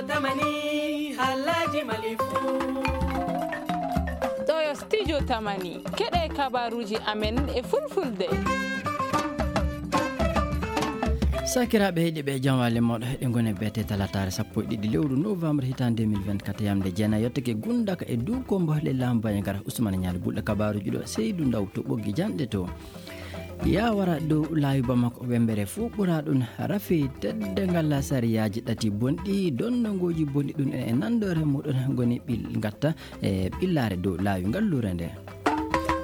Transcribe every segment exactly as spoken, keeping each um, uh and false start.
Tamani, halaji malifu. Ɗo yo studio Tamani. Keɗe kabaruji amen e fulfulde. Sakiraaɓe heɗiiɓe, jam waale mooɗo. Heɗe ngone beete talataare sappo e ɗiɗi lewru novembre hitaande deux mille vingt-quatre, yamde jeenayi yottake gundaka e dow kombo le laamu Banjagara. Usmane Ñaali Bulɗo kabaruji ɗo, Seydu Ndaw to ɓoggi janɗe to. Yawara dow laawi Bamako wembere fuu ɓura ɗum rafi teddangal sariyaaji ɗati bonɗi, donnangooji bonɗi ɗum e nanndore muɗum ngoni ɓil ngatta e ɓillaare dow laawi ngalluure nde.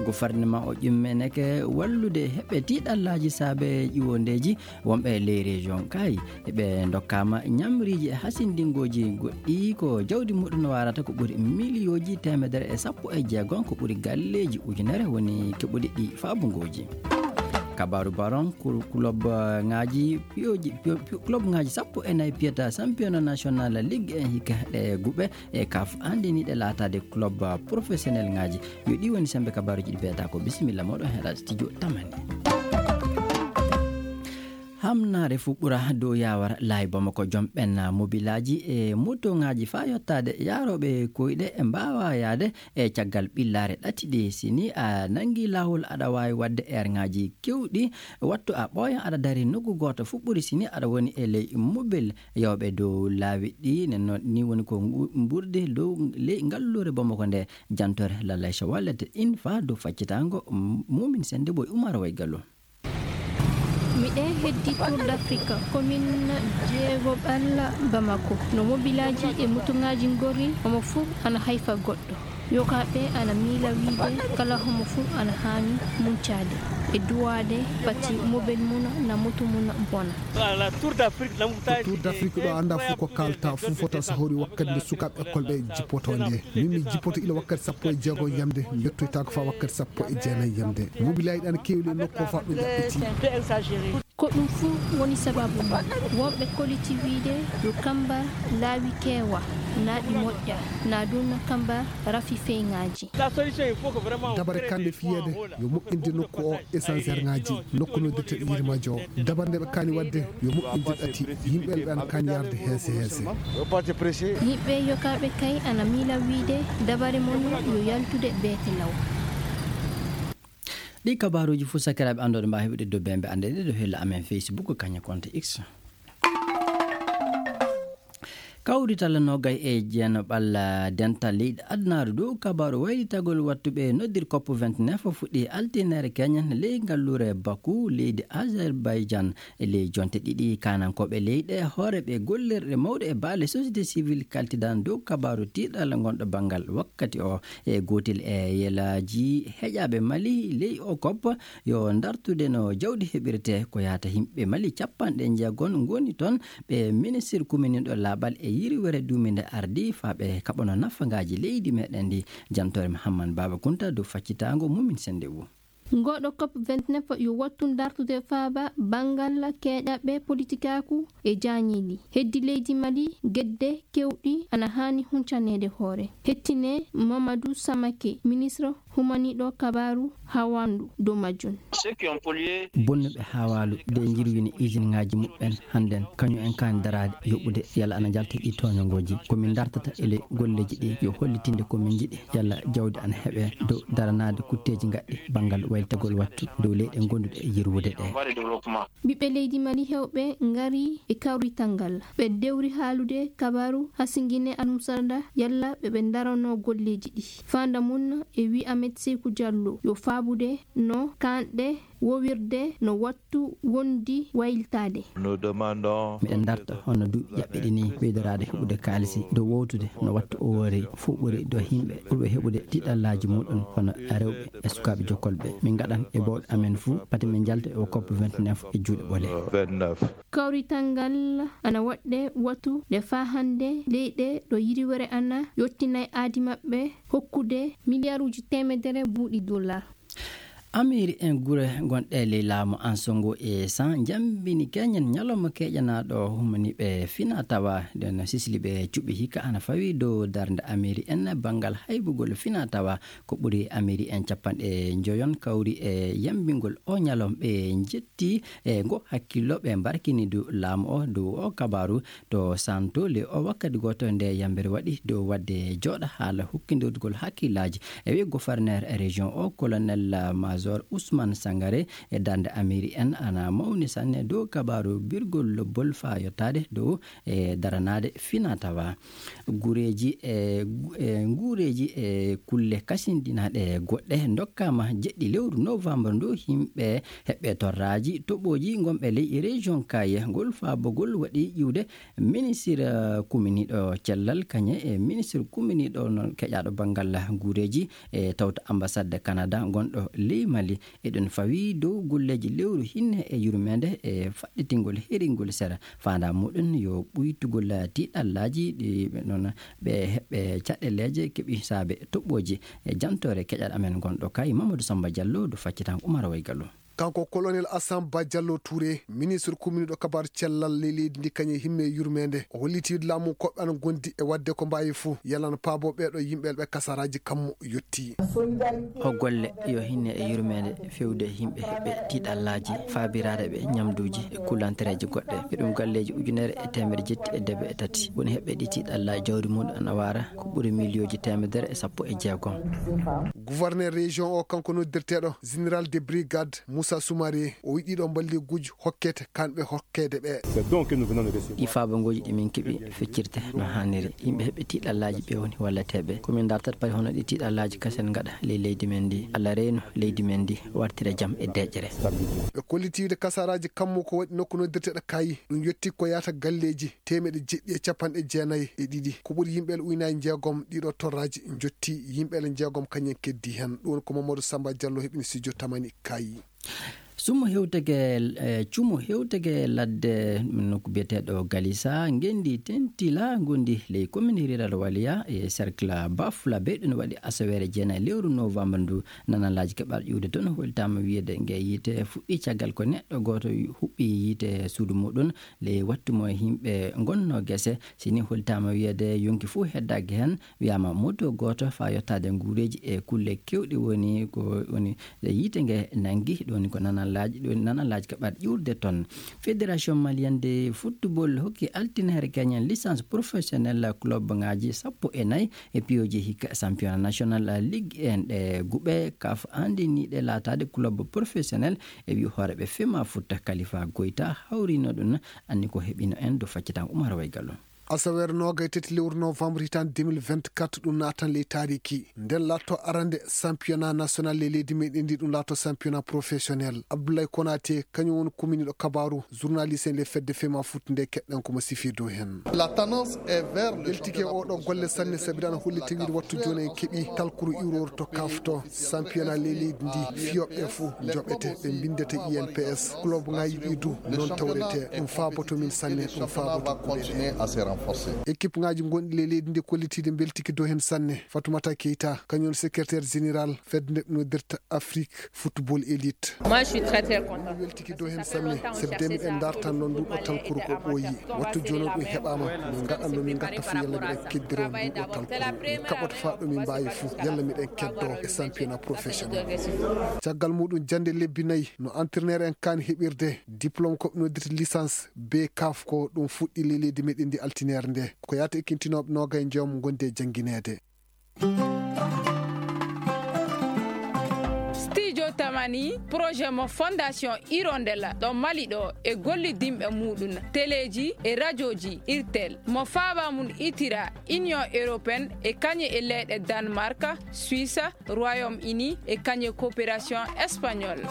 Gouvernement o ƴummeneke wallude heɓɓe tiiɗallaaji saabe ƴiwondeeji wonɓe ley région kay. Ɓe ndokkaama ñamriiji e hasindingooji goɗɗi ko jawdi muɗum warata ko ɓuri miliyooji teemedere e sappo e jeegom ko ɓuri galleeji ujunere woni keɓuɗi ɗi faabungooji. Kabaaru baron ku-, club, eh, ŋaaji piyoji, piyo-, piyo-, club ŋaaji sappo e nayi piyata championnat national Ligue un hikka ɗe guɓe e kaf andiniɗe laataade club, eh, professionnel ŋaaji. Yo ɗi woni sembe kabaaruji ɗi beeta ko bisimilla moɗon heɗa studio Tamani. Hamnaare fuu ɓura dow yawara laawi Bamako. Joom ɓen mobilaaji e motoŋaaji faa yottaade yaarooɓe koyɗe e mbaawa yaade e caggal ɓillaare ɗati ɗi. Si ni a nanngi laawol, aɗa waawi waɗde eerŋaaji keewɗi, wattu a ɓooyan aɗa dari nokku gooto fuu ɓuri si ni aɗa woni e ley mobil yawɓe dow laawi ɗi. Nen noon, ni woni ko ngu-, mburdi dow ley ngalluure Bamako nde, jantore Lalaysa Wallet in faa dow faccitaango, m-, Mumin Sennde Boy Umar Way Gallo. Miɗen heddi Tour d'Afrique, commune jeegoɓal Bamako. No mobilaaji e motoŋaaji ngorri, omo fof ana hayfa goɗɗo. Yokaaɓe ana miila wiide kala homo fof ana haani muncaade e duwaade pati mobil mum na moto mum bona. Ko Tour d'Afrique ɗo annda fof ko kaalta fof fota so hawri wakkati nde sukaaɓe école ɓe jippoto nde. Min mi jippoto ila wakkati sappo e jeego yamde, mbettoytaako faa wakkati sappo e jeenayi yamde. Mobilaaji ɗi ana keewi le nokku o faa ɗum ɗaɓɓiti. Ko ɗum fuu woni sababu mum. Wonɓe koliti wiide yo kamba laawi keewa, naa ɗi moƴƴa, naa ɗum na kamba rafi feyŋaaji. Dabare kande fiyeede yo moƴƴinde nokku o, échangeur ŋaaji, nokku noddirte yirmaaji o. Dabare nde ɓe kaani waɗde yo moƴƴinde ɗati, yimɓe ɓe ana kaani yarde heese heese. Yimɓe yokaaɓe kay ana miila wiide dabare mon yo yaltude beete law. Ɗi kabaaruuji fof sakiraaɓe anndooɓe mbaawa heɓude dow bembe annde ɗe ɗo hella amen Facebook, kañum compte X. Kawrital noogay e jeenaɓal dental leyɗe adunaaru dow kabaaru waylitagol wattuɓe noddir COP vingt-neuf fuɗɗi altineere keñen ley ngalluure Baku, leydi Azerbaijan. E ley jonte ɗiɗi, kaanankooɓe leyɗe, hooreeɓe gollirɗe mawɗe e baale société civile kaltidan dow kabaaru tiiɗal ngonɗo banngal wakkati o. E gootel e yelaaji heƴaaɓe Mali ley o COP, yo ndartude no jawdi heɓirte. Ko yahata yimɓe Mali capanɗe jeegom ngoni toon, ɓe ministir kumininɗo laaɓal e yirwere duuminde ardi faa ɓe kaɓano nafagaaji leydi meɗen ndi. Jantore Muhammad Baaba Kunta dow faccitaango Mumin Sennde Wu. Ngoɗo COP vingt-neuf yo wattu ndartude faaba banngal keeɗaɓe politikaaku e jaañiiɗi. Heddi leydi Mali gedde keewɗi ana haani huncaneede hoore. Hettine Mamadou Samake, ministre humaniiɗo kabaaru hawandu dow majjum. Bonnuɓe hawaalu de njirwini usine ŋaaji muɓɓen hannden, kañum en kaani daraade yoɓude yalla ana njalta ɗi tooñangooji. Ko min ndartata e ley golleeji ɗi yo hollitinde ko min njiɗi, yalla jawdi ana heɓee dow daranaade kutteeji ngaɗɗi banngal waylitagol wattu dow leyɗe gonduɗe e yirwude ɗe. Ɓiɓɓe leydi Mali heewɓe ngari e kawrital ngal. Ɓe dewri haalude kabaaru hasingine almusarda yalla ɓe ɓe ndarano golleeji ɗi. Faanda mum e wi Ahmed Sekou Diallo yo faabude no kaanɗe wowirde no wattu wondi waylitaade. Miɗen ndarta hono duuɓi ƴaɓɓiɗi ni, ɓeydoraade heɓude kaalisi dow wowtude no wattu o woori fof ɓuri dow yimɓe ɓurɓe heɓude tiiɗallaaji muɗum hono rewɓe e sukaaɓe jokkolɓe. Min ngaɗan e bawɗe amen fof, pati min njalta e o COP vingt-neuf e juuɗe ɓole. Kawrital ngal ana waɗde wattu nde faa hannde leyɗe ɗo yirwere ana yottinay aadi maɓɓe hokkude miliyaaruuji teemedere buuɗi dollar. Amiiri en gure gonɗe ley laamu Ansongo e San njambini keñen ñalawma keeƴanaaɗo humaniiɓe fina tawa. Nden sisli ɓe cuɓi hikka ana fawi dow darnde amiiri en banngal haybugol fina tawa. Ko ɓuri amiiri en capanɗe njoyon kawri e yambingol o ñalawma, ɓe njetti e ngo hakkillo, ɓe mbarkini du laamu o dow o kabaaru. To Santo le o wakkati gooto nde yambere waɗi dow waɗde jooɗa haala hukkindirgol hakkillaaji. E wi gouverneur région o, colonel major Ousmane Sangare, e darnde amiiri en ana mawni sanne dow kabaaru birgol lobbol faa yottaade dow e daranaade fina tawa. Gureeji e gu- e nguureeji e kulle kasindinaaɗe goɗɗe ndokkaama jeɗɗi lewru novembre ndu. Yimɓe heɓɓe torraaji toɓooji gonɓe ley région Kaye ngol faabogol waɗi ƴiwde ministre kuminiiɗo cellal kañe e ministre kuminiiɗo noon keƴaaɗo banngal nguureeji e tawta ambassade Canada gonɗo ley Mali. Eɗen fawi dow golleeji lewru hinne e yurmeende e faɗɗitingol heringol sera. Faandaa muɗum yo ɓuytugol tiiɗallaaji ɗi ɓe noon ɓe heɓɓe caɗeleeje keɓi saabe toɓɓooji. E jantoore keƴal amen gonɗo kay Mamadou Samba Diallo do faccitan Umar Waygallo. Kanko colonel Assane Ba Diallo Touré, ministre kuminiiɗo kabaaru cellal ley leydi ndi kañum e himme e yurmeende, o holliti laamu koɓɓe ana gondi e waɗde ko mbaawi fof yalana paabo ɓeeɗo yimɓe ɓe kasaraaji kammu yotti. Ko golle yo hinne e yurmeende fewde yimɓe heɓɓe tiiɗallaaji, faabiraade ɓe ñamduuji e kulantereeji goɗɗe. E ɗum galleeji ujunere e teemedde jetti e debe e tati woni heɓɓe ɗi tiiɗallaaji, jawdi mum ana waara ko ɓuri miliyooji teemedere e sappo e jeegom. Gouverneur région o, kanko noddirteeɗo général de brigade Moussa Soumaré, o wiɗi ɗo mballiiguuji hokkete kanɓe hokkeede ɓe. Ɗi faabangooji ɗi min keɓi feccirte no haaniri. Yimɓe heɓɓe tiiɗallaaji ɓe woni walleteeɓe. Ko min dartata pari hono ɗi tiiɗallaaji kasen ngaɗa ley leydi men ndi. Allah reenu leydi men ndi wartira jam e deƴƴere. Ɓe kolliti wiide kasaraaji kammu ko waɗi nokku noddirteeɗo Kayi. Ɗum yetti ko yahata galleeji teemeɗe jeɗɗi e capanɗe jeenayi e ɗiɗi. Ko ɓuri yimɓe ujunaaji jeegom ɗiɗo torraaji njotti, yimɓe jeegom kañum en keddi heen. Ɗum woni ko Mamadou Samba Diallo heɓini studio Tamani Kayi. Sumo hewtege, eh, cumo hewtege ladde nokku biyeteeɗo Galisa, ngenndi tentila ngondi ley commune rural Waliya e cercle Bafula be ɗum waɗi asaweere jeenayi lewru novembre ndu. Nanalaaji keɓal ƴuwde toon holtaama wiyeede nge yiite fuɗɗi caggal ko neɗɗo gooto huɓɓi yiite suudu muɗum ley wattu mo yimɓe ngonno gese. Si ni holtaama wiyeede yonki fof heddaaki heen, wiyaama moto gooto faa yottaade nguureeji e kulle keewɗi woni ko woni yiite nge nanngi. Ɗum woni ko nanalaaji, ɗum woni nanalaaji keɓal ƴuurde toon. Fédération malienne de football hokki altine hare keñen licence professionnelle club ngaaji sappo e nayi e piyooji hikka championnat national ligue en ɗe guɓe kaf andiniiɗe laataade club professionnel. E wi hooreeɓe fema futta Kalifa Goyta hawrino ɗum, anni ko heɓino en do faccitan Umar Waygallo. Asaweere noogay tati lewru novembre hitaande deux mille vingt-quatre, ɗum naatan ley taariki. Nden laatto arande championnat national ley leydi meɗen ndi, ɗum laatto championnat professionnel. Abdoulaye Konaté, kañum woni kuminiiɗo kabaaru journaliste en ley fedde fema foot nde keɗɗen ko mo sifi dow heen. La tendance est vers le Weltike oɗo golle sanne, sabi dana holli tawiide wattu jooni en keɓi talkuru iwrowro to kafto championnat ley leydi ndi. Fiyooɓe fof njoɓete, ɓe mbindete I N P S. Club ngaji ɗi du noon tawrete. Ɗum faaboto min sanne, ɗum faaboto kuɗe ɗe. Équipe ngaji gonɗi ley leydi ndi kollitiiɗe mbeltiki dow heen sanne. Fatoumata Keita, kañum woni secrétaire général fedde nde noddirta Afrique Football Elite. Moi, je suis très, très content. Mi weltiki dow heen sanne, sabi de miɗen ndartan noon nduɗo talkuru ko ɓooyi. Wattu jooni ɗum heɓaama, min ngaɗan no min ngatta fof yalla miɗen keddiro nduɗo talkuru. Min kaɓoto faa ɗo min mbaawi fof, yalla miɗen keddo e championnat professionnel. Caggal muɗum jannde lebbi nayi no entraîneur en kaan heɓirde diplôme ko noddirta licence B CAF ko ɗum fuɗɗi ley leydi meɗen ndi altineere nde. Ko yaata e kintinooɓe noogay njoom ngondi e janngineede. Studio Tamani, projet mo Fondation Hirondelle ɗo Mali ɗo e gollidinɓe muɗum, teleji e rajoji Irtel, mo faaba mum itira Union Européenne e kañe e leyɗe Danemark, Suisse, Royaume-Uni e kañe coopération espagnole.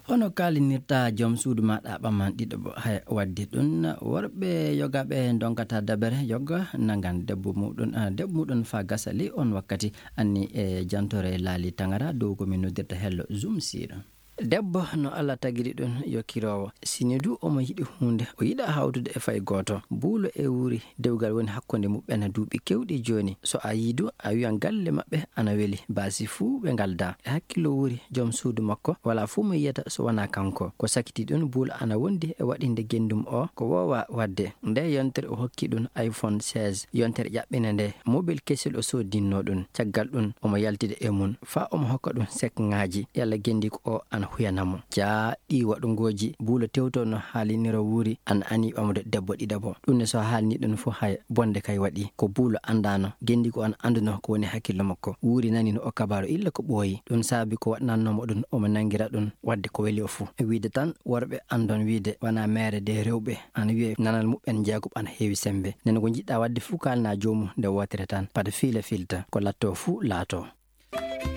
Hono kaalinirta joom suudu maaɗa ɓamman ɗiɗo bo, hay waddi ɗum, worɓe yogaaɓe ndonkata dabere yoga nangan debbo muɗum, ah, debbo muɗum faa gasa ley on wakkati. Anni e jantore laali tangara dow ko min noddirta hello Zoom siira. Debbo no Allah tagiri ɗum yo kiroowo. Si ni du omo yiɗi huunde, o yiɗaa hawtude e fay gooto. Buulo e wuuri, dewgal woni hakkunde muɓɓen duuɓi keewɗi jooni. So a yii du, a wiyan galle maɓɓe ana weli, baasi fuu ɓe ngaldaa. E hakkillo wuuri, jom suudu makko, walaa fuu mo yiyata so wanaa kanko. Ko sakiti ɗum, Buulo ana wondi e waɗinde genndum o ko woowaa waɗde. Nde yontere o hokki ɗum iPhone seize, yontere ƴaɓɓinde nde, mobile kesel o soodinnoo ɗum. Caggal ɗum, omo yaltida e mum, faa omo hokka ɗum sekŋaaji. Yalla genndiiko o ana huyana mo. Jaa, ɗii waɗungooji, Buulo tewto no haalinira wuuri, ana ani ɓamde debbo ɗiɗaɓo. Ɗum ne so haalni ɗum fof hay bonde kay waɗi. Ko Buulo anndaano, genndiiko o ana annduno ko woni hakkillo makko. Wuuri nani no o kabaaru illa ko ɓooyi. Ɗum saabi ko waɗnannoo mo ɗum, omo nanngira ɗum waɗde ko weli o fof. Wiide tan, worɓe anndon wiide, wanaa meere de rewɓe. Ana wiyee nanal muɓɓen jeegoɓ ana heewi semmbe. Nden ko njiɗɗaa waɗde fof kaalnaa joomum nde wootere tan. Pad fiila filta, ko lattoo fof laatoo.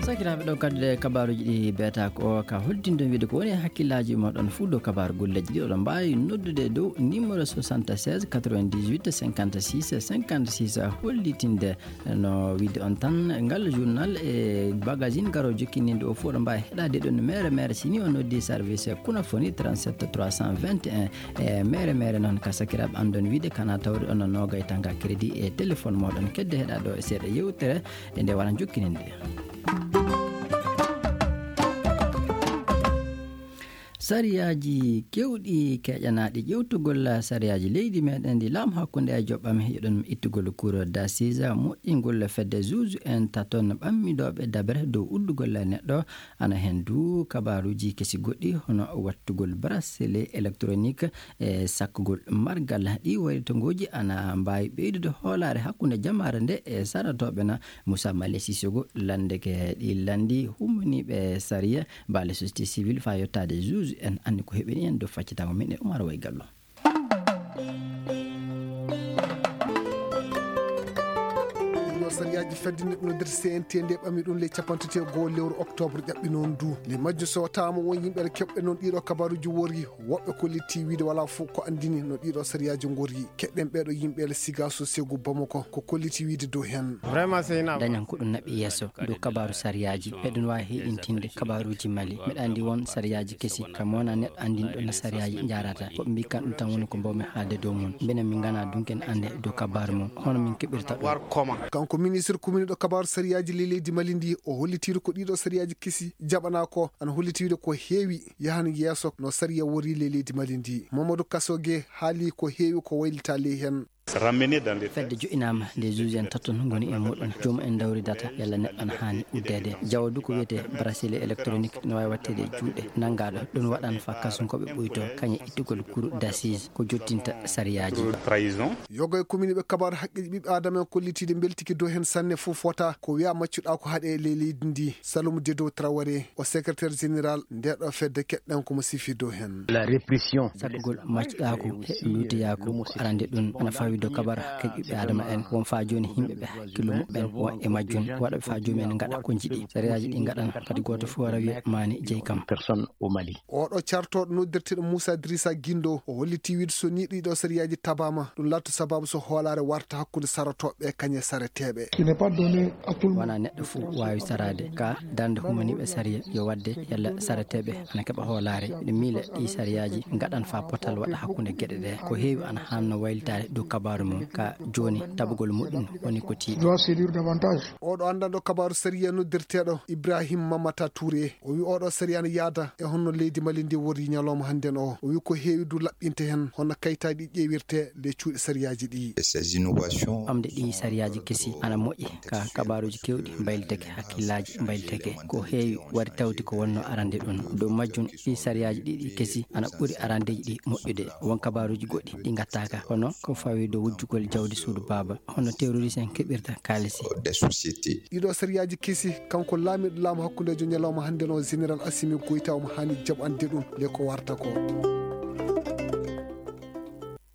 Sakiraaɓe, ɗo kadduɗe kabaaruuji ɗi beeta ko ka hoddinɗon wiide ko woni e hakkillaaji moɗon fof dow kabaaru golleeji ɗi. Oɗon mbaawi noddude dow numéro soixante-seize quatre-vingt-dix-huit cinquante-six cinquante-six, hollitinde no wiide on tan ngal journal e magazine garoo jokkininde o fof. Oɗon mbaawi heɗaade ɗon mere mere si ni on noddi service Kunafoni trente-sept trois cent vingt et un. E mere mere noon ka sakiraaɓe anndon wiide kana tawde on noogay tanga crédit e téléphone moɗon. Kedde heɗa ɗo e seeɗa yewtere e nde wara jokkininde. Sariyaaji kewɗi keƴanaaɗi ƴewtugol sariyaaji leydi meɗen ɗi laamu hakkunde e joɓɓam hiɗon ittugol cour d'assises moƴƴingol fedde juge en taton ɓammidooɓe dabre dow uddugol neɗɗo. Ana heen du kabaaruuji kesi goɗɗi hono wattugol bracelet électronique e sakkugol margal. Ɗi wayritongooji ana mbaawi ɓeydude hoolaare hakkunde jamaare nde e saratooɓe na. Moussa Male Sissoko lanndeke ɗi lanndi hummaniiɓe sariya, baale société civile faa yottaade juge en anndi ko heɓini en dow faccitaango min e Oumar Way Gallo. Ɗiɗo sariyaaji fedde neɗɗo noddirta C N T nde ɓami ɗum ley capanɗe tati e go'o lewru octobre ƴaɓɓi noon du. Ley majjum so taama won yimɓe ene keɓɓe noon ɗiɗo kabaaruuji worri, woɓɓe kollitii wiide walaa fof ko anndini no ɗiɗo sariyaaji ngorri. Keɗɗen ɓeeɗo yimɓe ele siga so segu Bamako ko kollitii wiide dow heen. Dañan ko ɗum naɓi yeeso dow kabaaru sariyaaji. Eɗen waawi heyɗintinde kabaaruuji Mali. Miɗa anndi won sariyaaji kesi kam wona neɗɗo anndinɗo no sariyaaji njaarata. Ko ɓe mbii kan ɗum tan woni ko mbawmi haalde dow mum. Mbele min nganaa dunken annde dow kabaaru mum. Hono min keɓirta ɗum. Kanko ministre commune ɗo kabaaru sariyaaji ley leydi Mali ndi o hollitiiɗo ko ɗiɗo sariyaaji kesi jaɓanaa ko ana hollitiiɗo ko heewi yahan yeeso no sariya wori ley leydi Mali ndi. Mamadou Kassogué haali ko heewi ko waylita ley heen. Fedde jo'inaama nde juge en taton ngoni e muɗum. Joomum en dawridata yalla neɗɗo ana haani uddeede. Jawo du ko wiyetee bracelet électronique no waawi watteede e juuɗe nanngaaɗo. Ɗum waɗan faa kasunkooɓe ɓuytoo kañe ittugol cour d'assises ko jottinta sariyaaji. Yoga e commune ɓe kabaaru haqqeeji ɓiɓɓe aadama en kollitiiɗe mbeltiki dow heen sanne fof fota ko wiya maccuɗaa ko haɗe ley leydi ndi. Saloum Dedo Traoré o secrétaire général ndeɗo fedde keɗɗen ko mo sifi dow heen. Sakkugol maccuɗaaku e luutiyaaku ko arande ɗum ana fawi dow kabaaru haqqeeji ɓiɓɓe aadama en. Won faa jooni yimɓe ɓe hakkillo muɓɓen won e majjum waɗa ɓe faa joomum en ngaɗa ko njiɗi. Sariyaaji ɗi ngaɗan kadi gooto fof wara wiya maani jeyi kam. Oɗo cartooɗo noddirteeɗo Moussa Drissa Guindo o hollitii wiide so nii ɗiɗo sariyaaji tabaama ɗum laatto sabaabu so hoolaare warta hakkunde sarotooɓe kañe sareteeɓe. Wonaa neɗɗo fof waawi saraade ka darnde humaniiɓe sariya yo waɗde yalla sareteeɓe ana keɓa hoolaare. Miɗo miila ɗii sariyaaji ngaɗan faa potal waɗa hakkunde geɗe ɗe. Ko heewi ana haanno waylitaade dow kabaaru mum ka jooni tabugol muɗum woni ko tiiɗi. Oɗo anndanɗo kabaaru sariya noddirteeɗo Ibrahim Mamata Touré o wi oɗo sariya ana yaada e honno leydi Mali ndi worri ñalawma hannden o. O wi ko heewi du laɓɓinte heen hono kayitaaji ɗi ƴeewirte ley cuuɗi sariyaaji ɗi. Ɓamde ɗii sariyaaji kesi ana moƴƴi ka kabaaruuji keewɗi mbaylitake hakkillaaji mbaylitake. Ko heewi waɗi tawti ko wonno arande ɗum. Dow majjum ɗii sariyaaji ɗiɗi kesi ana ɓuri arandeeji ɗi moƴƴude. Won kabaaruuji goɗɗi ɗi ngattaaka hono ko fawi dow wujjugol jawdi suudu baaba. Hono terroriste en keɓirta kaalisi. Ɗiɗo sariyaaji kesi kanko laamiiɗo laamu hakkundeejo ñalawma hannden o général Assimi Goïta omo haani jaɓande ɗum le ko warta ko.